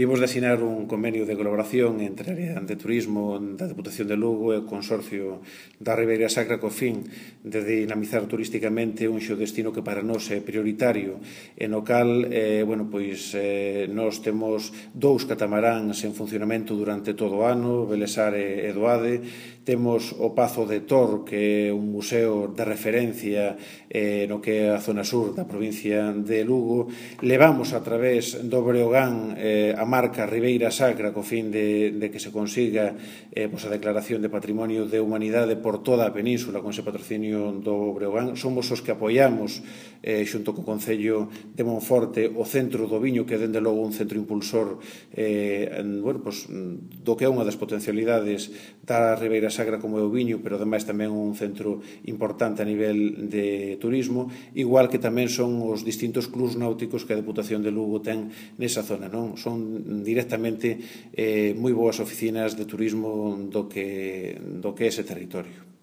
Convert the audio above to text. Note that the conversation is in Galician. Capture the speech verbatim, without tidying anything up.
Vimos de asinar un convenio de colaboración entre a área de turismo da Deputación de Lugo e o Consorcio da Ribeira Sacra co fin de dinamizar turísticamente un xeodestino que para nós é prioritario e no cal, eh, bueno, pois, eh, nós temos dous catamaráns en funcionamento durante todo o ano, Belesar e Doade, temos o Pazo de Tor, que é un museo de referencia eh, no que é a zona sur da provincia de Lugo, levamos a través do Breogán eh, a marca Ribeira Sacra co fin de, de que se consiga eh, pues, a declaración de Patrimonio de Humanidade por toda a península con ese patrocinio do Breogán. Somos os que apoiamos eh, xunto co Concello de Monforte o Centro do Viño, que é dende logo un centro impulsor eh, en, bueno, pues, do que é unha das potencialidades da Ribeira Sacra como é o viño, pero ademais tamén un centro importante a nivel de turismo, igual que tamén son os distintos clubs náuticos que a Deputación de Lugo ten nesa zona, non? Son directamente eh, moi boas oficinas de turismo do que, do que é ese territorio.